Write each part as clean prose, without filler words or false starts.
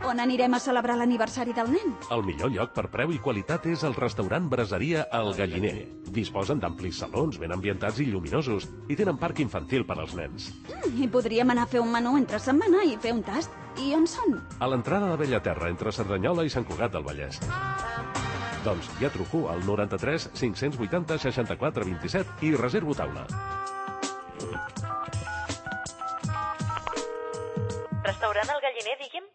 On anirem a celebrar l'aniversari del nen? El millor lloc per preu i qualitat és el restaurant Braseria El Galliner. Disposen d'amplis salons ben ambientats i lluminosos i tenen parc infantil per als nens. I podríem anar a fer un menú entre setmana i fer un tast. I on són? A l'entrada de Bellaterra, entre Cerdanyola i Sant Cugat del Vallès. Doncs ja truco al 93 580 64 27 i reservo taula. Restaurant El Galliner, digui'm?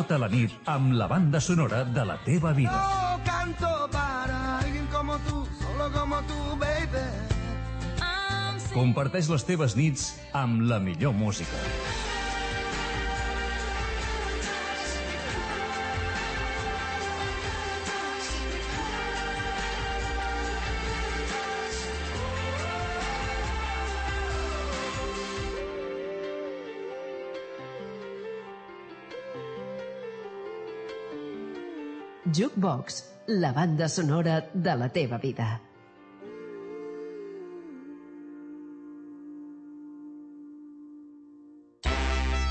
Tota la nit amb la banda sonora de la teva vida. No canto para alguien como tú, solo como tú, baby. Comparteix les teves nits amb la millor música. Jukebox, la banda sonora de la teva vida.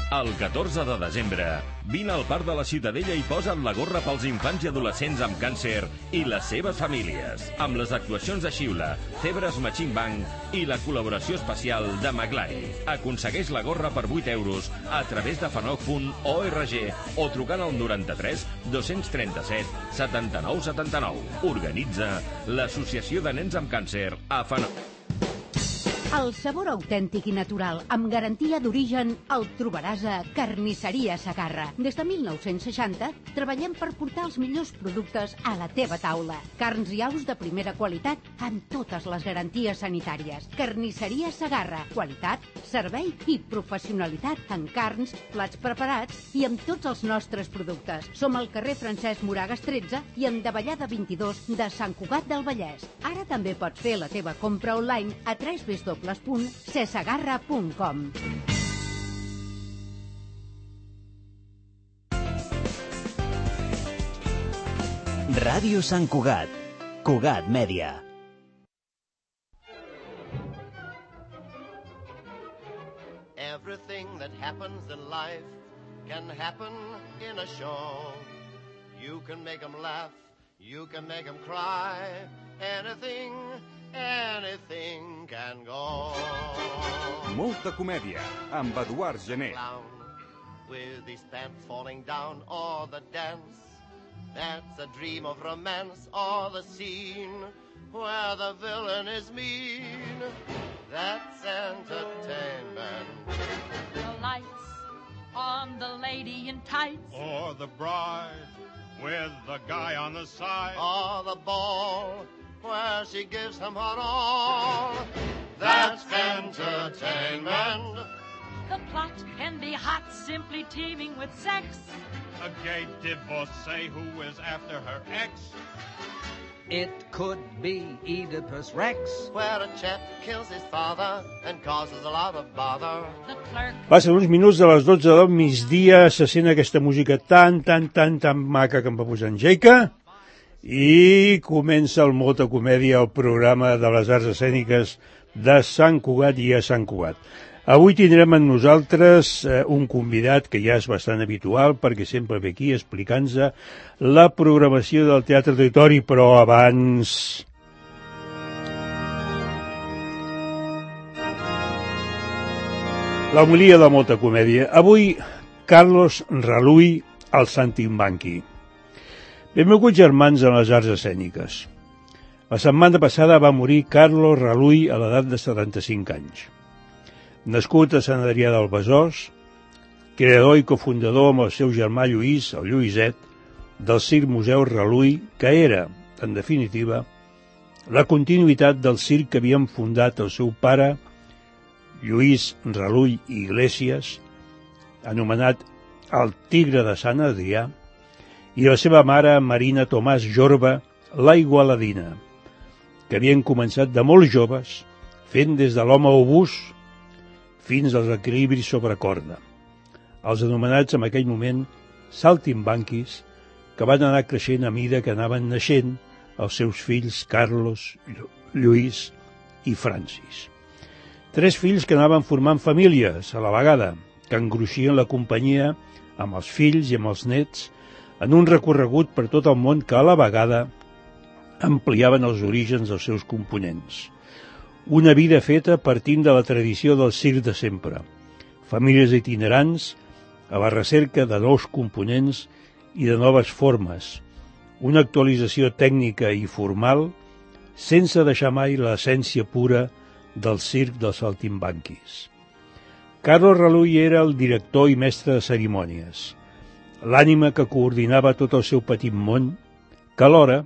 El 14 de desembre, vine al Parc de la Ciutadella i posa't la gorra pels infants i adolescents amb càncer i les seves famílies, amb les actuacions de Xiula, Cebres Machine Band i la col·laboració especial de Maglai. Aconsegueix la gorra per 8 euros a través de fanoc.org o trucant al 93 237 79 79. Organitza l'Associació de Nens amb Càncer a Fanoc. El sabor autèntic i natural, amb garantia d'origen, el trobaràs a Carnisseria Segarra. Des de 1960 treballem per portar els millors productes a la teva taula. Carns i aus de primera qualitat amb totes les garanties sanitàries. Carnisseria Segarra. Qualitat, servei i professionalitat en carns, plats preparats i amb tots els nostres productes. Som al carrer Francesc Moragas 13 i en Davallada 22 de Sant Cugat del Vallès. Ara també pots fer la teva compra online a www.cesegarra.com. Ràdio Sant Cugat. Cugat Mèdia. Everything that happens in life can happen in a show. You can make them laugh, you can make them cry. Anything can go. Molta comèdia, amb Eduard Gené. With his pants falling down, or the dance that's a dream of romance, or the scene where the villain is mean. That's entertainment. The lights on the lady in tights, or the bride with the guy on the side, or the ball where she gives him her all. That's entertainment. The plot can be hot, simply teeming with sex. A gay divorcee who is after her ex. It could be Oedipus Rex, where a chap kills his father and causes a lot of bother. Passen uns minuts de les 12 del migdia, se sent aquesta música tan maca que em va posar en Jaica, i comença el Molta Comèdia, el programa de les arts escèniques de Sant Cugat i a Sant Cugat. Avui tindrem amb nosaltres un convidat que ja és bastant habitual perquè sempre ve aquí explicant-nos la programació del Teatre Auditori, però abans... L'homilia de Molta Comèdia. Avui, Carlos Raluy, al Saltimbanqui. Benvinguts germans en les arts escèniques. La setmana passada va morir Carlos Raluy a l'edat de 75 anys. Nascut a Sant Adrià del Besòs, creador i cofundador amb el seu germà Lluís, el Lluïset, del Circ Museu Raluy, que era, en definitiva, la continuïtat del circ que havien fundat el seu pare, Lluís Raluy i Iglesias, anomenat el Tigre de Sant Adrià, i la seva mare, Marina Tomàs Jorba, la Igualadina, que havien començat de molt joves, fent des de l'home obús fins als equilibris sobre corda, els anomenats en aquell moment saltimbanquis, que van anar creixent a mida que anaven naixent els seus fills Carlos, Lluís i Francis. 3 fills que anaven formant famílies a la vegada, que engruixien la companyia amb els fills i amb els nets en un recorregut per tot el món que a la vegada ampliaven els orígens dels seus components. Una vida feta partint de la tradició del circ de sempre. Famílies itinerants a la recerca de nous components i de noves formes. Una actualització tècnica i formal sense deixar mai l'essència pura del circ dels saltimbanquis. Carlos Raluy era el director i mestre de cerimònies, l'ànima que coordinava tot el seu petit món, que alhora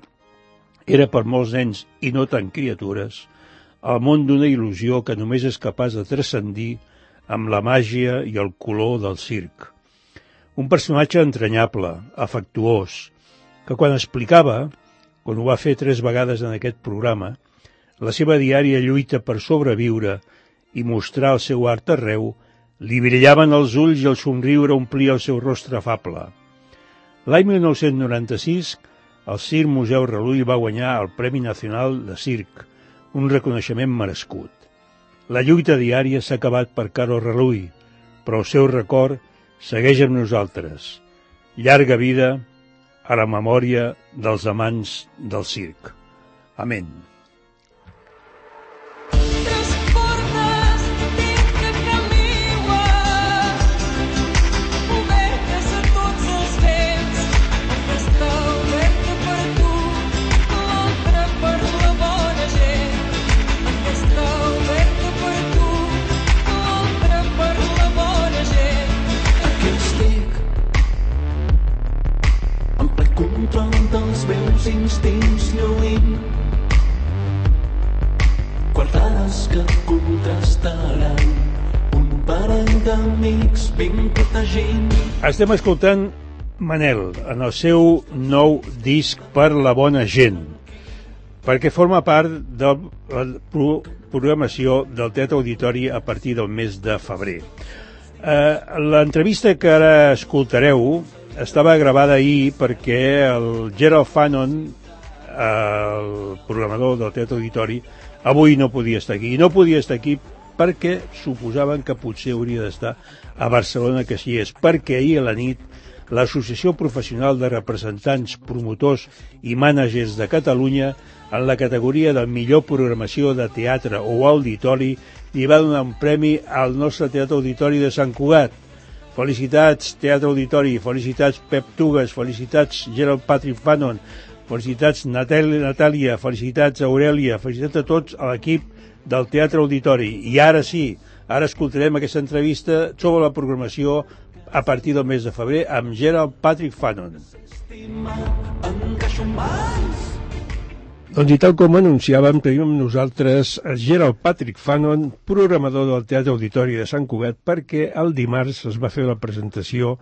era per molts nens i no tant criatures, el món d'una il·lusió que només és capaç de transcendir amb la màgia i el color del circ. Un personatge entranyable, afectuós, que quan explicava, quan ho va fer 3 vegades en aquest programa, la seva diària lluita per sobreviure i mostrar el seu art arreu, li brillaven els ulls i el somriure omplia el seu rostre afable. L'any 1996, el Circ Museu Raluy va guanyar el Premi Nacional de Circ, un reconeixement merescut. La lluita diària s'ha acabat per Carlos Raluy, però el seu record segueix amb nosaltres. Llarga vida a la memòria dels amants del circ. Amén. dels meus instints lluint, quartades que contrastaran un parell d'amics ben protegint. Estem escoltant Manel en el seu nou disc Per la bona gent, perquè forma part de la programació del Teatre Auditori a partir del mes de febrer. L'entrevista que ara escoltareu estava gravada ahir perquè el Gerald Fanon, el programador del Teatre Auditori, avui no podia estar aquí. I no podia estar aquí perquè suposaven que potser hauria d'estar a Barcelona, que així és, perquè ahir a la nit l'Associació Professional de Representants, Promotors i Mànagers de Catalunya, en la categoria de millor programació de teatre o auditori, li va donar un premi al nostre Teatre Auditori de Sant Cugat. Felicitats, Teatre Auditori, felicitats Pep Tugas, felicitats Gerald Patrick Fanon, felicitats Natàlia, felicitats Aurelia, felicitats a tots a l'equip del Teatre Auditori. I ara sí, ara escoltarem aquesta entrevista sobre la programació a partir del mes de febrer amb Gerald Patrick Fanon. Doncs i tal com anunciàvem, tenim amb nosaltres Gerald Patrick Fanon, programador del Teatre Auditori de Sant Cugat, perquè el dimarts es va fer la presentació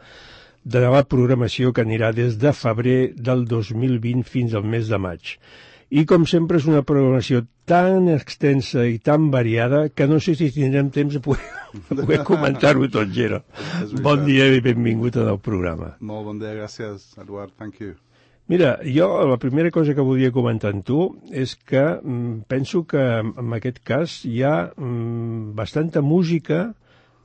de la programació que anirà des de febrer del 2020 fins al mes de maig. I com sempre és una programació tan extensa i tan variada que no sé si tindrem temps de poder comentar-ho tot, Gerald. Bon dia i benvingut al programa. Molt bon dia, gràcies, Eduard, thank you. Mira, jo la primera cosa que volia comentar amb tu és que penso que en aquest cas hi ha bastanta música,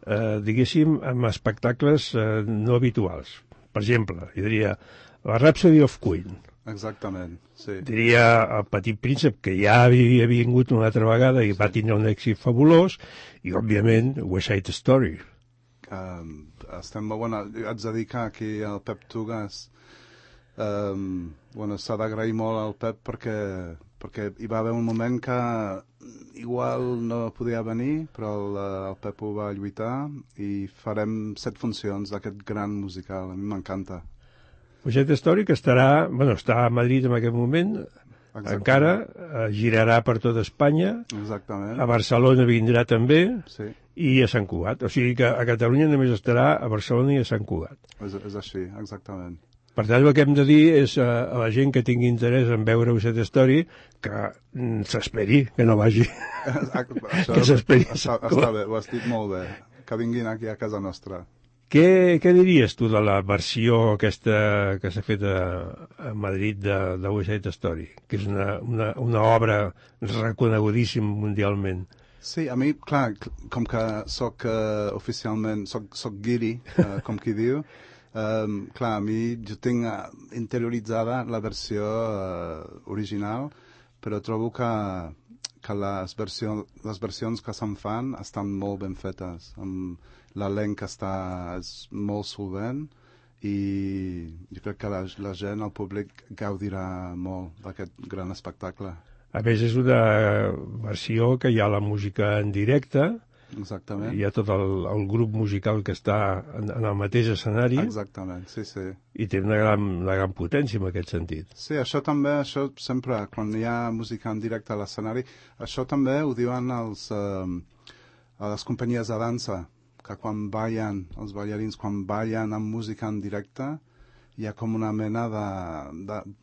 diguéssim, amb espectacles no habituals. Per exemple, jo diria la Rhapsody of Queen. Exactament, sí. Diria el Petit Príncep, que ja havia vingut una altra vegada i va tindre un èxit fabulós, i, òbviament, West Side Story. Estem molt bona. Haig de dir que aquí el Pep Tugas s'ha d'agrair molt al Pep perquè hi va haver un moment que igual no podia venir, però el Pep ho va lluitar i farem 7 funcions d'aquest gran musical. A mi m'encanta. West Side Story, que està a Madrid en aquest moment. Exactament. Encara girarà per tot Espanya. Exactament. A Barcelona vindrà també. Sí. I a Sant Cugat. O sigui que a Catalunya només estarà a Barcelona i a Sant Cugat. És així, exactament. Per tant, el que hem de dir és a la gent que tingui interès en veure West Side Story que s'esperi, que no vagi. Que s'esperi. Està bé, ho has dit molt bé. Que vinguin aquí a casa nostra. Què diries tu de la versió aquesta que s'ha fet a Madrid de West Side Story, que és una obra reconegudíssima mundialment? Sí, a mi, clar, com que soc oficialment, soc guiri, com qui diu, clar, a mi jo tinc interioritzada la versió original, però trobo que les versions que se'n fan estan molt ben fetes, l'elenc és molt solvent i jo crec que la gent, el públic, gaudirà molt d'aquest gran espectacle. A més, és una versió que hi ha la música en directe. Exactament. Hi ha tot el grup musical que està en el mateix escenari. Exactament, sí. I té una gran potència en aquest sentit. Sí, això sempre, quan hi ha música en directe a l'escenari, això també ho diuen a les companyies de dansa, que quan ballen, els ballarins, quan ballen amb música en directe, hi ha com una mena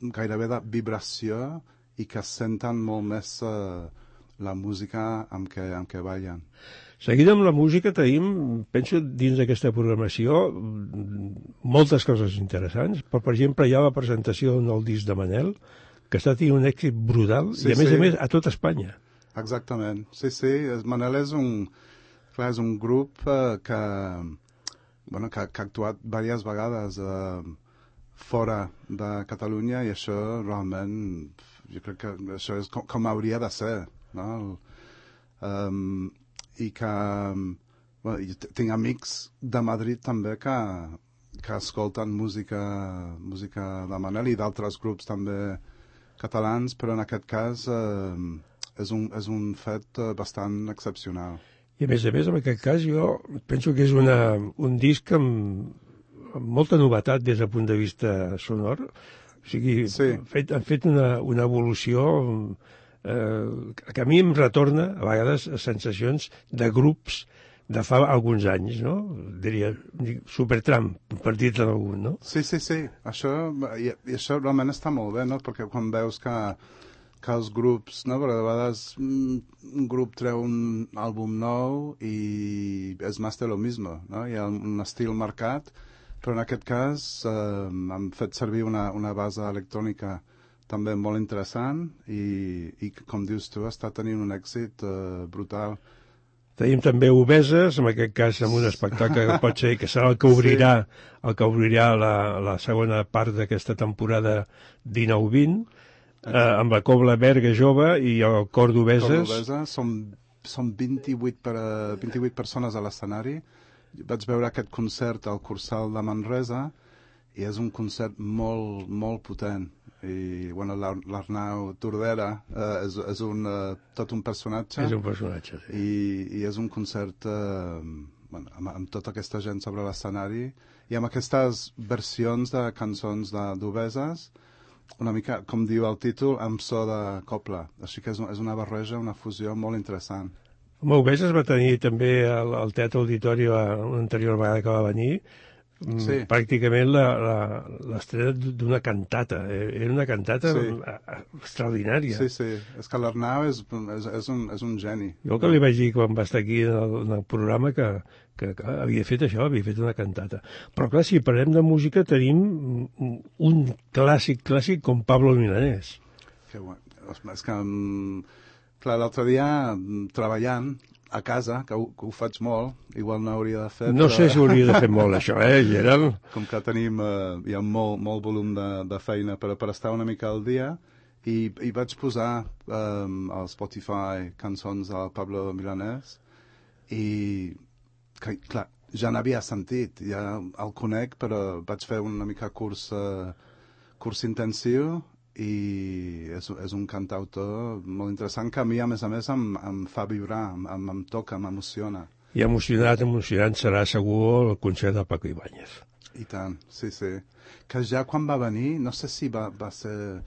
gairebé de vibració i que senten molt més la música amb què ballen. Seguint amb la música tenim, penso, dins d'aquesta programació, moltes coses interessants. Per exemple, hi ha la presentació d'un nou disc de Manel, que està tenint un èxit brutal, i a més a tot Espanya. Exactament, sí. Manel és un grup que ha actuat diverses vegades fora de Catalunya i això realment, jo crec que això és com hauria de ser, no? I que tinc amics de Madrid també que escolten música de Manel i d'altres grups també catalans, però en aquest cas és un fet bastant excepcional. I a més, en aquest cas, jo penso que és un disc amb molta novetat des del punt de vista sonor. O sigui, han fet una evolució que a mi em retorna, a vegades, a sensacions de grups de fa alguns anys, no? Diria, Supertramp, per dir-te d'algun, no? Sí. Això realment està molt bé, no? Perquè quan veus que els grups, no? Perquè de vegades un grup treu un àlbum nou i és més de lo mismo, no? Hi ha un estil marcat, però en aquest cas han fet servir una base electrònica també molt interessant i com dius tu, està tenint un èxit brutal. Tenim també Obeses, en aquest cas amb un espectacle que pot ser, que serà el que obrirà la segona part d'aquesta temporada 19-20, amb la Cobla Berga Jove i el Cor d'Obeses. Són 28 persones a l'escenari. Vaig veure aquest concert al Cursal de Manresa i és un concert molt, molt potent. I l'Arnau Tordera és tot un personatge. És un personatge, sí. I és un concert amb tota aquesta gent sobre l'escenari i amb aquestes versions de cançons d'Obeses, una mica, com diu el títol, amb so de cobla. Així que és una barreja, una fusió molt interessant. Home, Obeses va tenir també al Teatre Auditori una anterior vegada que va venir, pràcticament l'estrena d'una cantata. Era una cantata extraordinària. Sí. És que l'Arnau és un geni. Jo el que li vaig dir quan va estar aquí en el programa que havia fet això, havia fet una cantata. Però clar, si parlem de música tenim un clàssic com Pablo Milanés. Que bueno. És que, clar, l'altre dia treballant a casa, que ho faig molt, igual no hauria de fer... No sé si hauria de fer molt, això, Gerald? Com que tenim, hi ha molt volum de feina per estar una mica al dia, i vaig posar al Spotify cançons del Pablo Milanés, i, clar, ja n'havia sentit, ja el conec, però vaig fer una mica curs intensiu, i és un cantautor molt interessant que a mi, a més, em fa vibrar, em toca, m'emociona. I emocionant serà segur el concert de Paco Ibáñez. I tant, sí. Que ja quan va venir, no sé si va ser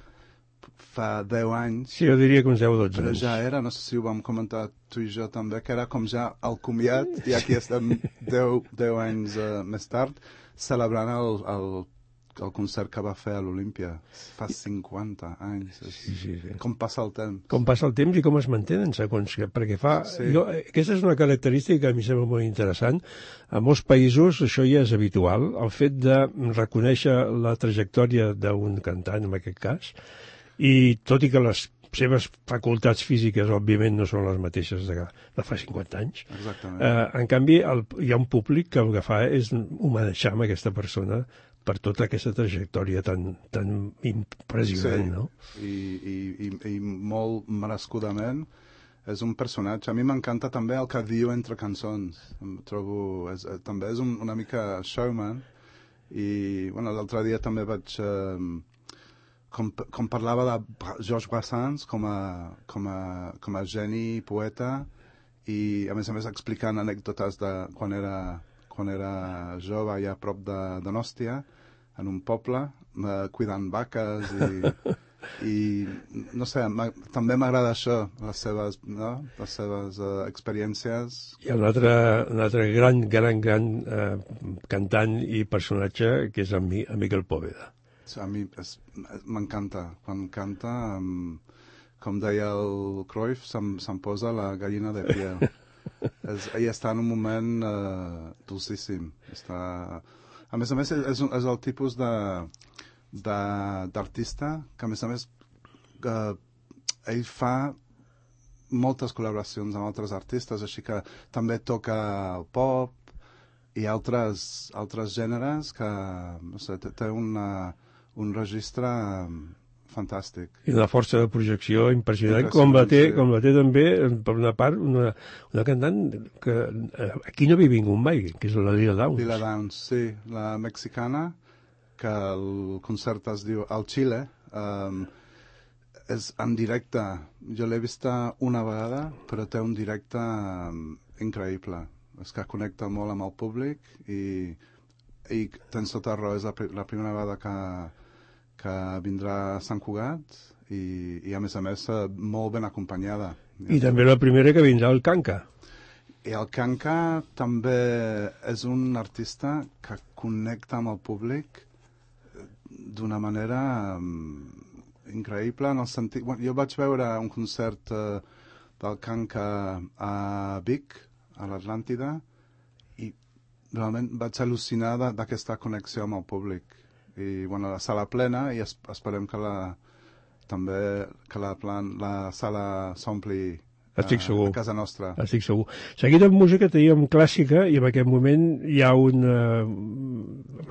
fa 10 anys... Sí, jo diria que uns 10 o 12 anys. Però ja era, no sé si ho vam comentar tu i jo també, que era com ja el comiat, i aquí estem 10 anys més tard, celebrant el el concert que va fer a l'Olímpia fa 50 anys. Sí. Com passa el temps. Com passa el temps i com es mantenen, segons que... Perquè aquesta és una característica que a mi sembla molt interessant. A molts països això ja és habitual, el fet de reconèixer la trajectòria d'un cantant, en aquest cas, i tot i que les seves facultats físiques, òbviament, no són les mateixes de fa 50 anys. Exactament. En canvi, hi ha un públic que el que fa és homenatjar amb aquesta persona per tota aquesta trajectòria tan impressionant, no? I molt merescudament és un personatge. A mi m'encanta també el que diu entre cançons. Em trobo... també és una mica showman. I l'altre dia també vaig... Com parlava de Georges Brassens com a geni, poeta, i a més explicant anècdotes de quan era jove allà a prop de Donòstia, en un poble, cuidant vaques i no sé, també m'agrada això, les seves experiències. Hi ha un altre gran cantant i personatge que és en Miquel Poveda. A mi m'encanta. Quan canta, com deia el Cruyff, se'm posa la gallina de piel. Ell està en un moment dulcíssim. A més, és el tipus d'artista que, a més, ell fa moltes col·laboracions amb altres artistes, així que també toca el pop i altres gèneres que, no sé, té un registre fantàstic. I una força de projecció impressionant, com la té també, per una part, una cantant que aquí no havia vingut mai, que és la Lila Downs. Lila Downs, sí, la mexicana, que el concert es diu Al Chile, és en directe. Jo l'he vista una vegada, però té un directe increïble. És que connecta molt amb el públic i tens tota raó, és la primera vegada que vindrà a Sant Cugat i a més, molt ben acompanyada. I també la primera que vindrà al Kanka. I el Kanka també és un artista que connecta amb el públic d'una manera increïble, en el sentit... Jo vaig veure un concert del Kanka a Vic, a l'Atlàntida, i realment vaig al·lucinar d'aquesta connexió amb el públic. I la sala plena, i esperem que la sala s'ompli a casa nostra. Estic segur. Seguint amb música teníem clàssica, i en aquest moment hi ha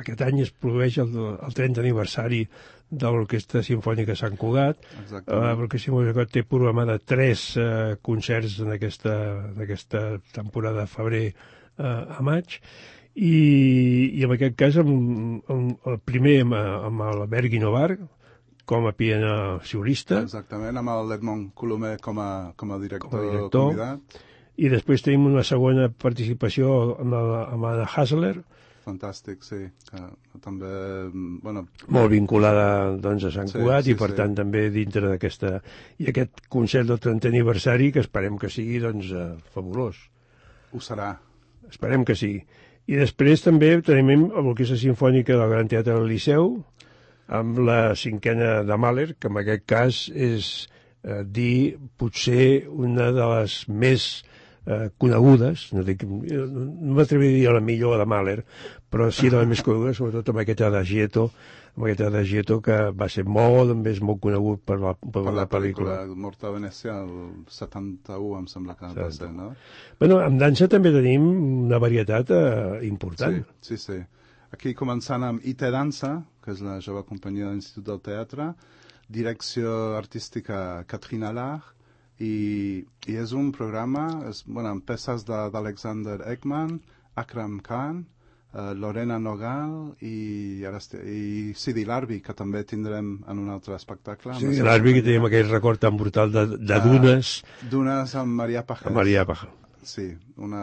aquest any es produeix el 30 aniversari de l'Orquestra Simfònica Sant Cugat. L'Orquestra Simfònica té programada 3 concerts en aquesta temporada de febrer a maig, i en aquest cas el primer amb l'Albert Guinovar com a pianista. Exactament, amb l'Edmond Colomer com a director convidat. I després tenim una segona participació amb Anna Hasler. Fantàstic, sí. Que també, molt vinculada doncs, a Sant Cugat, i per tant també dintre d'aquesta... I aquest concert del 30 aniversari que esperem que sigui fabulós. Ho serà. Esperem que sí. I després també tenim l'Orquestra Simfònica del Gran Teatre del Liceu, amb la 5a de Mahler, que en aquest cas és dir potser una de les més conegudes, no m'atreviria a dir la millor de Mahler, però sí de les més conegudes, sobretot amb aquest Adagietto, que va ser molt conegut per la pel·lícula. Mort a Venècia, el 71, em sembla que va ser, no? En dansa també tenim una varietat important. Sí. Aquí començant amb IT Dansa, que és la jove companyia de l'Institut del Teatre, direcció artística Katrina Lach, i és un programa amb peces d'Alexander Ekman, Akram Khan, Lorena Nogal i Sidi Larbi, que també tindrem en un altre espectacle. Sidi Larbi, que tenim aquell record tan brutal de Dunes. Dunes amb Maria Pajés. Maria Pajés. Sí, un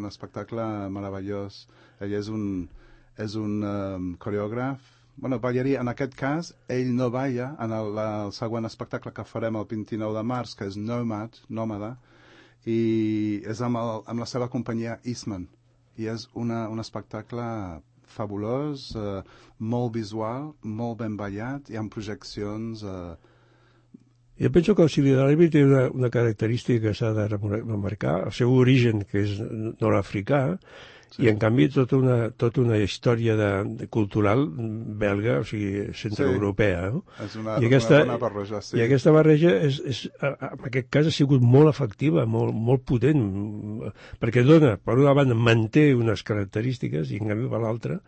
espectacle meravellós. Ell és un coreògraf, ballarí. En aquest cas, ell no balla en el següent espectacle que farem el 29 de març, que és Nòmada, i és amb la seva companyia Eastman. I és un espectacle fabulós, molt visual, molt ben ballat, hi ha projeccions... Jo penso que el Sidi d'Aràbia té una característica que s'ha de remarcar, el seu origen, que és nord-africà, i en canvi tota una història cultural belga, o sigui, centroeuropea. No? És una bona barreja, sí. I aquesta barreja, en aquest cas, ha sigut molt efectiva, molt potent, perquè dona, per una banda, manté unes característiques, i en canvi per l'altra...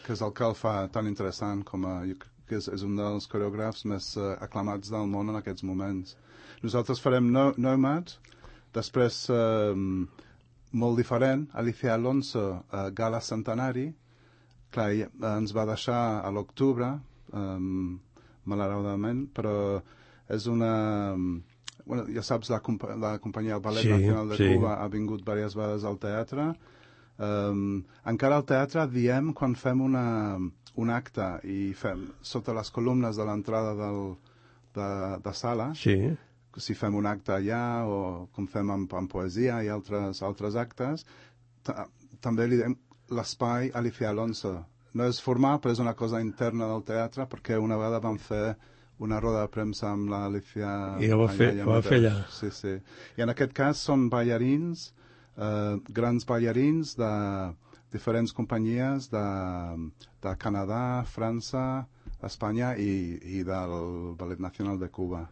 Que és el que el fa tan interessant com a... que és un dels coreògrafs més aclamats del món en aquests moments. Nosaltres farem Nomad, després, molt diferent, Alicia Alonso, Gala Centenari, clar, ens va deixar a l'octubre, malauradament, però és una... Bueno, ja saps, la companyia del Ballet Nacional de Cuba ha vingut diverses vegades al teatre. Encara al teatre diem quan fem un acte i fem sota les columnes de l'entrada de sala, si fem un acte allà o com fem amb poesia i altres actes, també li diem l'espai Alicia Alonso. No és formal, però és una cosa interna del teatre, perquè una vegada vam fer una roda de premsa amb l'Alicia... I ho va fer allà. Sí, sí. I en aquest cas són ballarins, grans ballarins de diferents companyies de Canadà, França, Espanya i del Ballet Nacional de Cuba.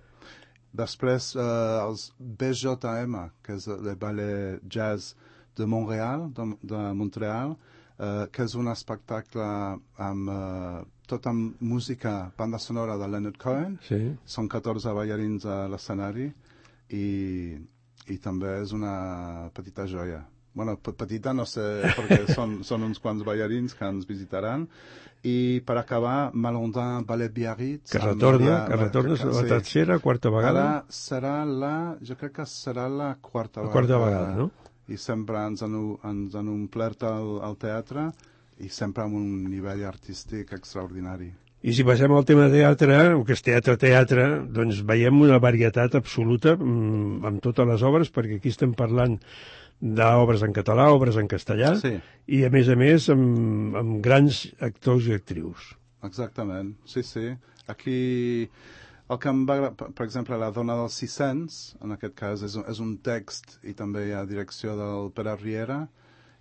Després, els BJM, que és el Ballet Jazz de Montreal, que és un espectacle amb tot amb música, banda sonora de Leonard Cohen. Són 14 ballarins a l'escenari i també és una petita joia. Bueno, petita no sé, perquè són uns quants ballarins que ens visitaran. I per acabar, Malandin Ballet Biarritz. Que retorna la tercera, quarta vegada. Jo crec que serà la quarta vegada. La quarta vegada, no? I sempre ens han omplert al teatre i sempre amb un nivell artístic extraordinari. I si passem al tema teatre, que és teatre, doncs veiem una varietat absoluta amb totes les obres, perquè aquí estem parlant d'obres en català, obres en castellà, i a més, amb grans actors i actrius. Exactament, sí. Aquí, el que em va agradar, per exemple, La dona dels 600, en aquest cas és un text i també hi ha direcció del Pere Riera,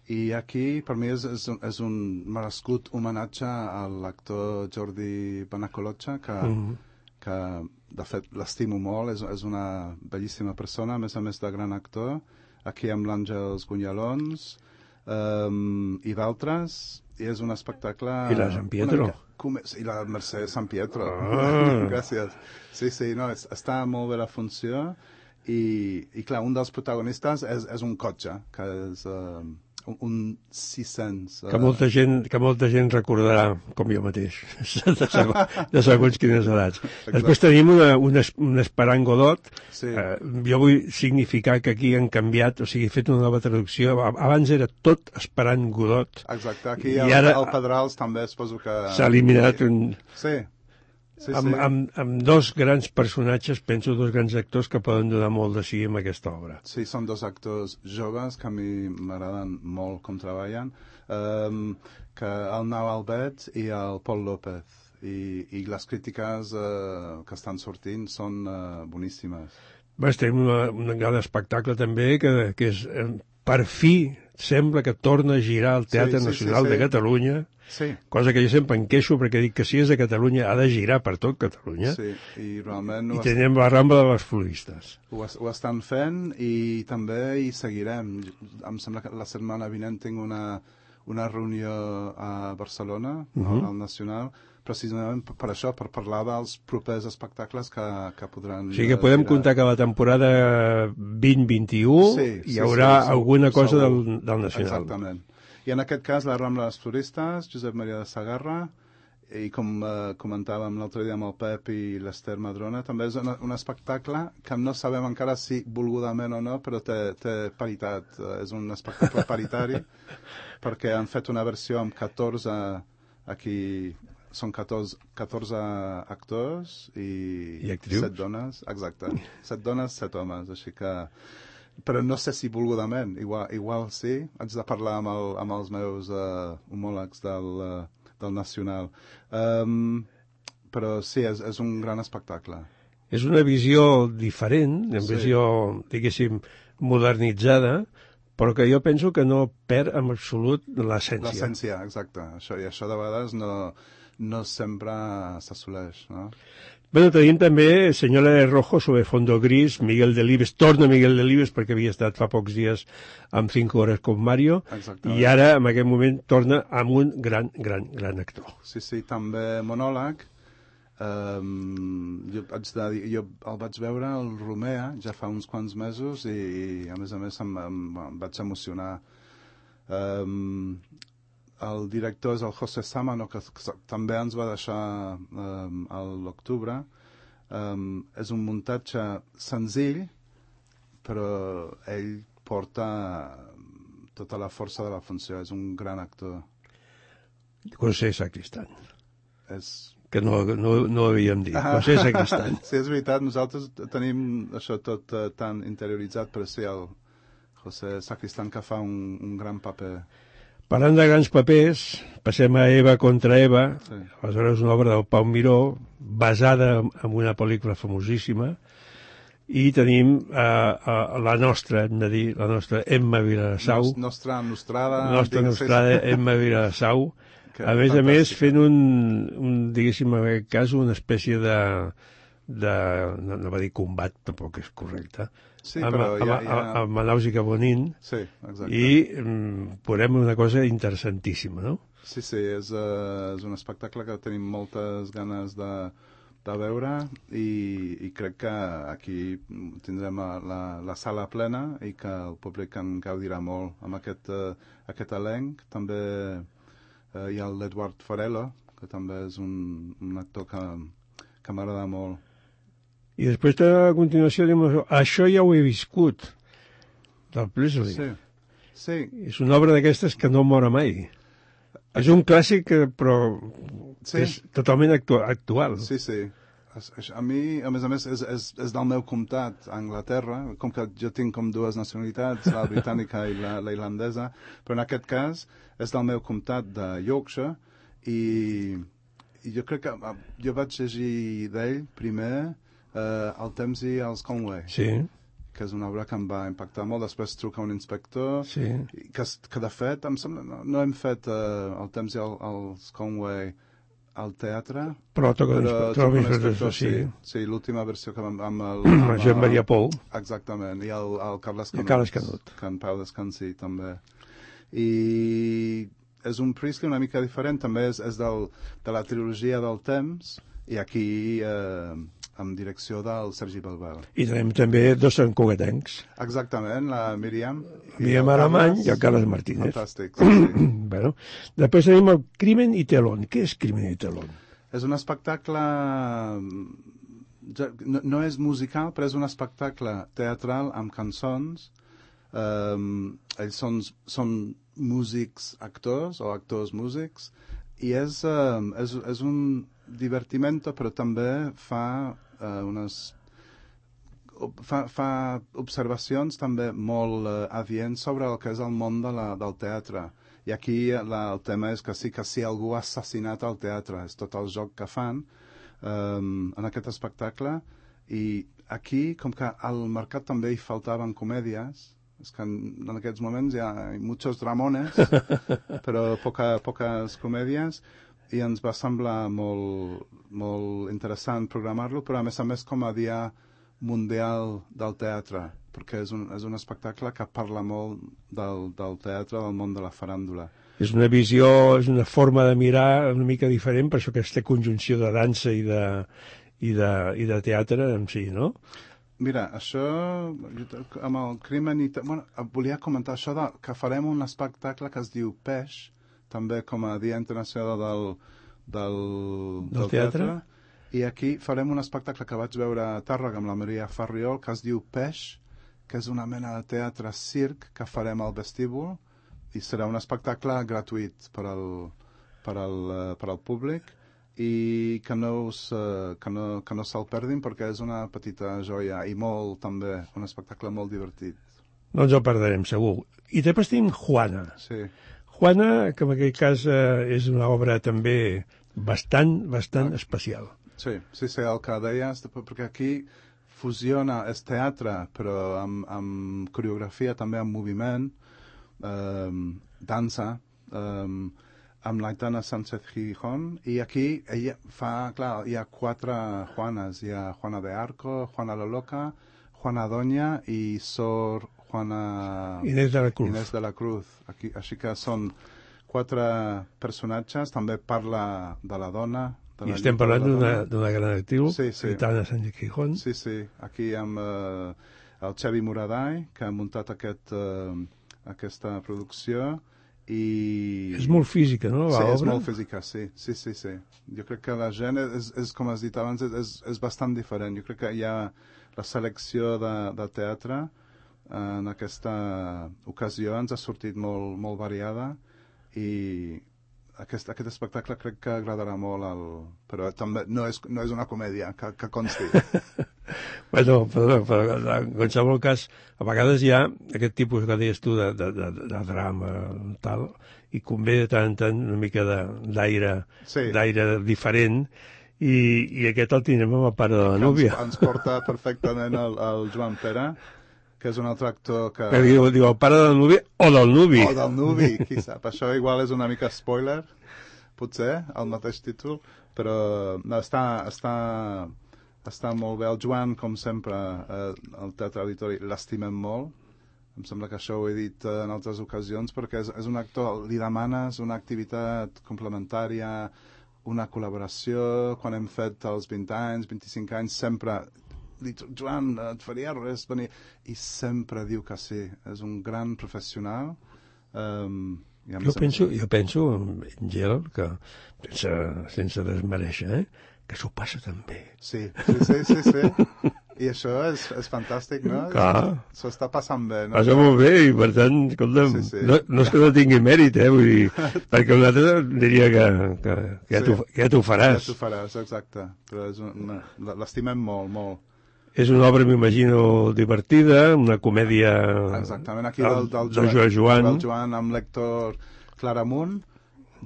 i aquí, per mi, és un merescut homenatge a l'actor Jordi Benacolotxa, que de fet l'estimo molt, és una bellíssima persona, a més de gran actor, aquí amb l'Àngels Gunyalons i d'altres, i és un espectacle... I la Sant Pietro. I la Mercè Sant Pietro. Gràcies. Sí, no, està molt bé la funció, i clar, un dels protagonistes és un cotxe, que és... un 600. Que molta gent recordarà, com jo mateix, de segons quines edats. Després tenim un Esperant Godot. Jo vull significar que aquí han canviat, o sigui, he fet una nova traducció. Abans era tot Esperant Godot. Exacte, aquí al Pedrals també suposo que... S'ha eliminat un... Sí. Amb dos grans personatges, penso, dos grans actors que poden donar molt de si en aquesta obra. Sí, són dos actors joves que a mi m'agraden molt com treballen, que el Nau Albet i el Pol López, i les crítiques que estan sortint són boníssimes. Tenim un gran espectacle també, que és, per fi, sembla que torna a girar el Teatre Nacional de Catalunya, cosa que jo sempre em queixo, perquè dic que si és de Catalunya ha de girar per tot Catalunya, i realment i tenim la Rambla de les Floristes. Ho estan fent i també hi seguirem. Em sembla que la setmana vinent tinc una reunió a Barcelona, al Nacional, precisament per això, per parlar dels propers espectacles que podran... O sigui que podem comptar que la temporada 2021 hi haurà alguna cosa del Nacional. Exactament. I en aquest cas, la Rambla de les Floristes, Josep Maria de Sagarra, i com comentàvem l'altre dia amb el Pep i l'Ester Madrona, també és un espectacle que no sabem encara si volgudament o no, però té paritat. És un espectacle paritari, perquè han fet una versió amb 14, aquí són 14 actors i 7 dones, exacte. 7 dones, 7 homes, així que però no sé si volgudament, igual sí, haig de parlar amb els meus homòlegs del Nacional. Però sí, és un gran espectacle. És una visió diferent, una visió, diguéssim, modernitzada, però que jo penso que no perd en absolut l'essència. L'essència, exacte. I això de vegades no sempre s'assoleix, no? Bueno, tenim també Senyora de Rojo sobre fondo gris, Miguel Delibes, torna Miguel Delibes perquè havia estat fa pocs dies amb 5 hores com Mario, i ara, en aquest moment, torna amb un gran actor. Sí, també monòleg. Jo el vaig veure al Romea ja fa uns quants mesos i a més em vaig emocionar. El director és el José Sámano, que també ens va deixar a l'octubre. És un muntatge senzill, però ell porta tota la força de la funció. És un gran actor. José Sacristán. És... que no havíem dit. José Sacristán. Sí, és veritat, nosaltres tenim això tot tan interioritzat, però sí, el José Sacristán que fa un gran paper. Parlant de grans papers, passem a Eva contra Eva, aleshores una obra del Pau Miró, basada en una pel·lícula famosíssima, i tenim la nostra, hem de dir, la nostra Emma Vilassau. Nostra nostrada Emma Vilassau, a més, fent diguéssim, en aquest cas, una espècie no va dir combat, tampoc és correcte, sí, amb Manaus i Cabonin, sí, exacte. I veurem una cosa interessantíssima, no? Sí, és un espectacle que tenim moltes ganes de veure i crec que aquí tindrem la sala plena i que el públic en gaudirà molt amb aquest elenc. També hi ha l'Eduard Farelo, que també és un actor que m'agrada molt. I després, a continuació, Això ja ho he viscut, del Presley. Sí. És una obra d'aquestes que no mora mai. És un clàssic, però és totalment actual. Sí. A mi, a més, és del meu comtat, a Anglaterra, com que jo tinc com dues nacionalitats, la britànica i la irlandesa, però en aquest cas és del meu comtat de Yorkshire i jo crec que jo vaig llegir d'ell primer El temps i els Conway, que és una obra que em va impactar molt. Després truca un inspector, que de fet em sembla, no hem fet El temps i els Conway al teatre, però l'inspector, sí, l'última versió que amb Joan Maria Pou, exactament, i el Carles Canut, que en Pau descansi també. I és un Priestley una mica diferent, també és de la trilogia del temps, i aquí amb direcció del Sergi Balbal. I tenim també dos santcugatencs. Exactament, la Míriam Aramany i el Carles Martínez. Fantàstic, sí. Bueno, després tenim el Crimen i Telón. Què és Crimen i Telón? És un espectacle... No és musical, però és un espectacle teatral amb cançons. Ells són músics actors o actors músics i és un divertimento, però també fa observacions també molt adients sobre el que és el món del teatre. I aquí el tema és que sí que si algú ha assassinat el teatre, és tot el joc que fan en aquest espectacle. I aquí, com que al mercat també hi faltaven comèdies, és que en aquests moments hi ha muchos dramones, però poques comèdies, i ens va semblar molt interessant programar-lo, però a més com a dia mundial del teatre, perquè és un espectacle que parla molt del teatre, del món de la faràndula. És una visió, és una forma de mirar una mica diferent, per això aquesta conjunció de dansa i de teatre en si, no? Mira, això, amb el Crimen i... Bueno, volia comentar això que farem un espectacle que es diu Peix, també com a Dia Internacional del Teatre. I aquí farem un espectacle que vaig veure a Tàrrega amb la Maria Farriol, que es diu Peix, que és una mena de teatre circ que farem al vestíbul, i serà un espectacle gratuït per al públic, i que no se'l perdin perquè és una petita joia i molt també un espectacle molt divertit. No ens el perdrem, segur. I després tenim Juana. Sí. Juana, que en aquest cas és una obra també bastant especial. Sí, el que deies, perquè aquí fusiona, és teatre, però amb coreografia, també amb moviment, dansa, amb l'Aitana Sánchez Gijón, i aquí ella fa, clar, hi ha 4 Juanes, hi ha Juana de Arco, Juana la Loca, Juana Doña i Sor Juana... Inés de la Cruz. Inés de la Cruz. Aquí, així que són 4 personatges, també parla de la dona. I estem parlant d'una gran actriu, Aitana Sánchez Gijón. Sí, aquí amb el Xavi Moraday, que ha muntat aquesta producció, i... És molt física, no, l'obra? Sí, és molt física, sí. Jo crec que la gent, és com has dit abans, és bastant diferent. Jo crec que hi ha la selecció de teatre en aquesta ocasió ens ha sortit molt variada i aquest espectacle crec que agradarà molt, però també no és una comèdia, que consti. Bueno, però en qualsevol cas, a vegades hi ha aquest tipus que deies tu de drama, tal, i convé de tant en tant una mica d'aire diferent, i aquest el tindrem amb el pare de la núvia. Ens porta perfectament el Joan Pere, que és un altre actor que... Diu el pare de la núvia o del nuvi. O del nuvi, qui sap. Això igual és una mica spoiler, potser, el mateix títol, però està molt bé. El Joan, com sempre, el Teatre Auditori, l'estimem molt. Em sembla que això ho he dit en altres ocasions, perquè és un actor, li demanes una activitat complementària, una col·laboració. Quan hem fet els 20 anys, 25 anys, sempre... Dic, Joan, et faria res venir? I sempre diu que sí. És un gran professional. Jo penso, Angel, que sense desmereixer, que s'ho passa tan bé. Sí. I això és fantàstic, no? Clar. S'ho està passant bé, no? Passa molt bé i, per tant, escolta'm, no és que no tingui mèrit, vull dir, perquè un altre diria que ja t'ho faràs. Ja t'ho faràs, exacte. Però l'estimem molt. És una obra, m'imagino, divertida, una comèdia... Exactament, aquí del Joan amb l'Héctor Claramunt,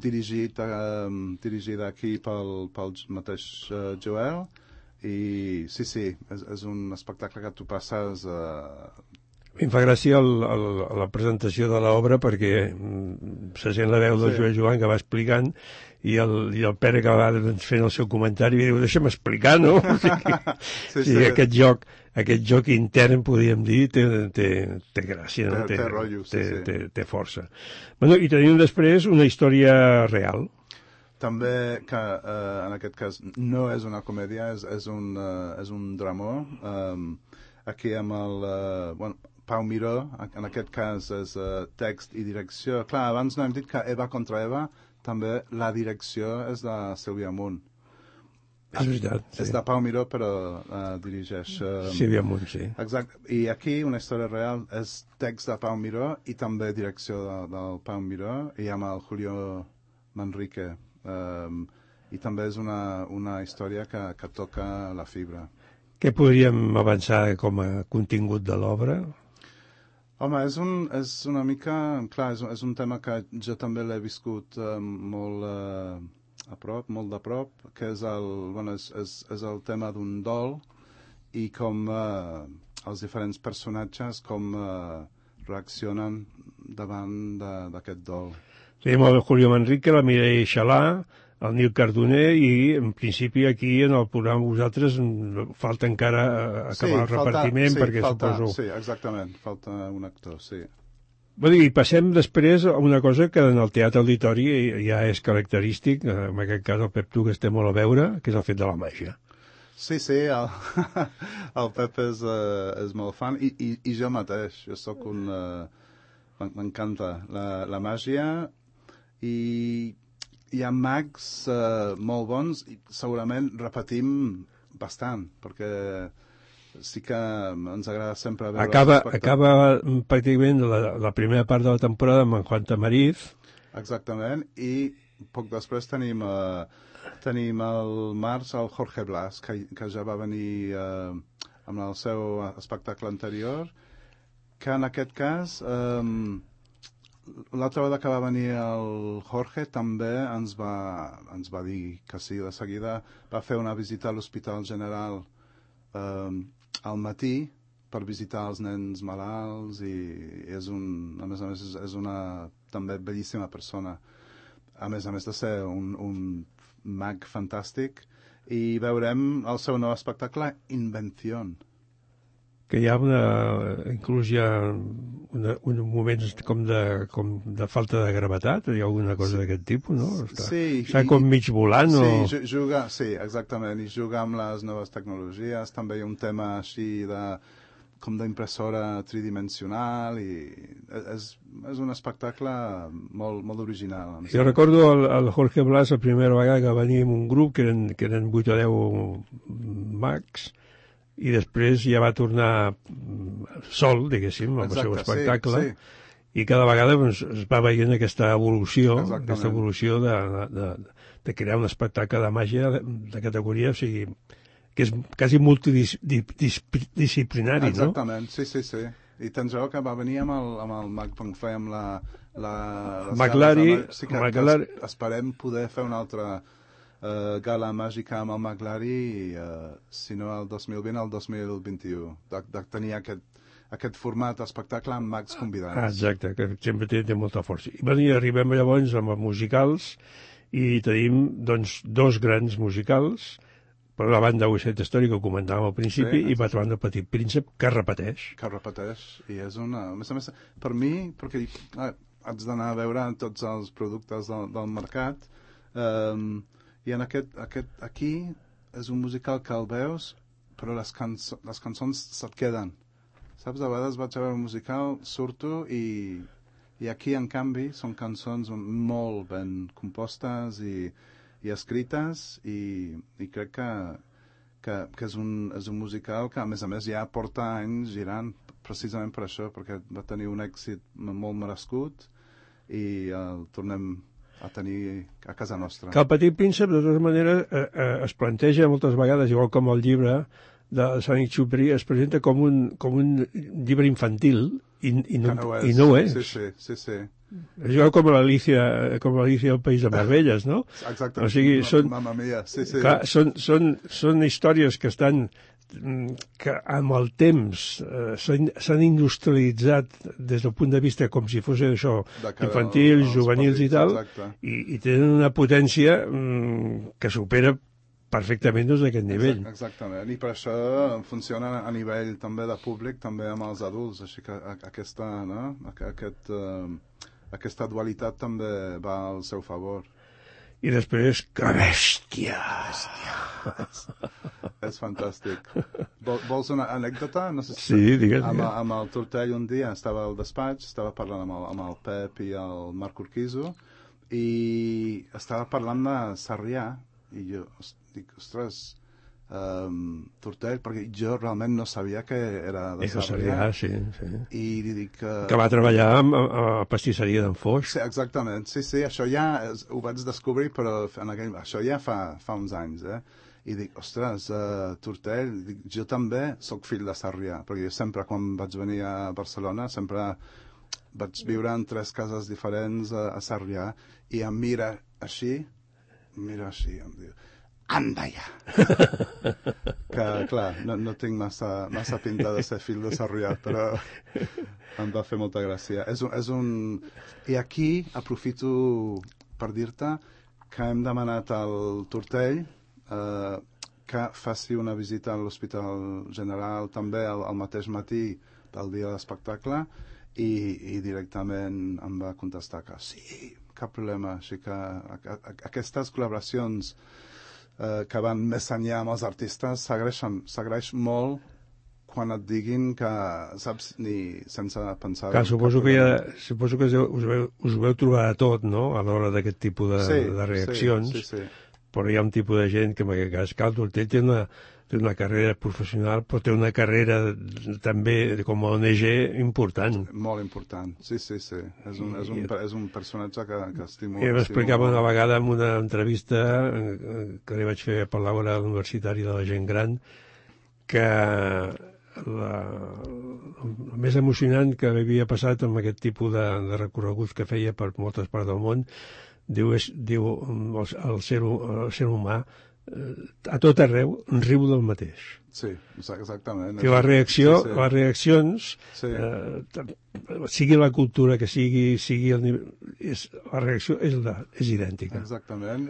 dirigida aquí pel mateix Joel, i sí, és un espectacle que tu passes... A mi em fa gràcia la presentació de l'obra perquè se sent la veu del Joan que va explicant i el Pere que va fent el seu comentari i diu, deixa'm explicar, no? Sí, aquest joc intern, podríem dir, té gràcia, no? Té rotllo, té força. Bueno, i tenim després una història real. També que en aquest cas no és una comèdia, és un dramó. Aquí amb el Pau Miró, en aquest cas és text i direcció. Clar, abans no hem dit que Eva contra Eva, també la direcció és de Sílvia Munt. És veritat, sí. És de Pau Miró, però dirigeix... Sílvia Munt, sí. Exacte. I aquí una història real és text de Pau Miró i també direcció del Pau Miró, i amb el Julio Manrique. I també és una història que toca la fibra. Què podríem avançar com a contingut de l'obra? Home, és una mica... Clar, és un tema que jo també l'he viscut molt de prop, que és el tema d'un dol i com els diferents personatges com reaccionen davant d'aquest dol. Tenim el Julio Manrique, la Mireia Xalà, el Nil Cardoner, i en principi aquí en el programa vosaltres falta encara acabar el repartiment, perquè suposo... Sí, exactament, falta un actor, sí. I passem després a una cosa que en el Teatre Auditori ja és característic, en aquest cas el Pep tu que estem molt a veure, que és el fet de la màgia. Sí, el Pep és molt fan, i jo mateix, jo sóc un... M'encanta la màgia, i hi ha mags molt bons i segurament repetim bastant, perquè sí que ens agrada sempre veure... Acaba pràcticament la primera part de la temporada amb en Juan Tamariz. Exactament, i poc després tenim el març el Jorge Blas, que ja va venir amb el seu espectacle anterior, que en aquest cas, l'altra vegada que va venir el Jorge també ens va dir que sí, de seguida va fer una visita a l'Hospital General al matí per visitar els nens malalts i a més és una també bellíssima persona, a més de ser un mag fantàstic. I veurem el seu nou espectacle Invención, que hi ha inclús hi ha uns moments com de falta de gravetat, hi ha alguna cosa d'aquest tipus, no? Està com mig volant o... Sí, exactament, i juga amb les noves tecnologies, també hi ha un tema així com d'impressora tridimensional i és un espectacle molt original. Jo recordo el Jorge Blas la primera vegada que venia amb un grup que eren 8 o 10 mags, i després ja va tornar sol, diguéssim, amb el seu espectacle, i cada vegada es va veient aquesta evolució de crear un espectacle de màgia de categoria, o sigui, que és quasi multidisciplinari, no? Exactament, sí. I tens raó que va venir amb el mag quan fèiem la Maglari. Sí que esperem poder fer una altra gala màgica amb el Maglari, si no el 2020, el 2021, de tenir aquest format d'espectacle amb mags convidats. Exacte, que sempre té molta força. I arribem llavors amb els musicals i tenim doncs 2 grans musicals, per una banda West Story, que ho comentàvem al principi, i per l'altra banda Petit Príncep, que repeteix. I és una... A més, per mi, perquè haig d'anar a veure tots els productes del mercat, i en aquí és un musical que el veus, però les cançons se't queden. Saps, a vegades vaig a veure un musical, surto i aquí, en canvi, són cançons molt ben compostes i escrites i crec que és un musical que, a més, ja porta anys girant precisament per això, perquè va tenir un èxit molt merescut i el tornem a tenir a casa nostra. Que el Petit Príncep, de totes maneres, es planteja moltes vegades, igual com el llibre de Saint-Exupéry, es presenta com un llibre infantil i no ho és. Sí. És igual com l'Alicia al País de Meravelles, no? Exacte, o sigui, mamma mia, sí. Clar, són històries que estan que amb el temps s'han industrialitzat des del punt de vista com si fos això, infantils, juvenils i tal, i tenen una potència que supera perfectament d'aquest nivell. Exactament, i per això funciona a nivell també de públic, també amb els adults, així que aquesta dualitat també va al seu favor. I després, que bèstia! És fantàstic. Vols una anècdota? No sé si sí, digues. Amb el Tortell un dia estava al despatx, estava parlant amb el Pep i el Marc Urquizo i estava parlant de Sarrià i jo dic, ostres, Tortell, perquè jo realment no sabia que era de Sarrià. Sí. I li dic que va treballar a pastisseria d'en Foix. Sí, exactament, sí, això ja ho vaig descobrir, però això ja fa uns anys, I dic, ostres, Tortell, jo també sóc fill de Sarrià, perquè jo sempre, quan vaig venir a Barcelona, sempre vaig viure en 3 cases diferents a Sarrià, i em mira així, em diu, anda ja! Que, clar, no tinc massa pinta de ser fill de Sarrià, però em va fer molta gràcia. I aquí aprofito per dir-te que hem demanat al Tortell que faci una visita a l'Hospital General també al mateix matí del dia de l'espectacle i directament em va contestar que sí, cap problema. Així que aquestes col·laboracions que van més enllà amb els artistes s'agraeix molt quan et diguin que saps ni sense pensar... Clar, suposo que us veu trobar a tot, no?, a l'hora d'aquest tipus de reaccions. Sí. Però hi ha un tipus de gent que en aquest cas, el Tortell té una carrera professional, però té una carrera també com a ONG important. Molt important, sí. És un personatge que estimo. I m'explicava una vegada en una entrevista que li vaig fer per l'hora universitària de la gent gran que el més emocionant que havia passat amb aquest tipus de recorreguts que feia per moltes parts del món, diu el ser humà a tot arreu riu del mateix. Sí, exactament. Que les reaccions, sigui la cultura que sigui el nivell, la reacció és idèntica. Exactament.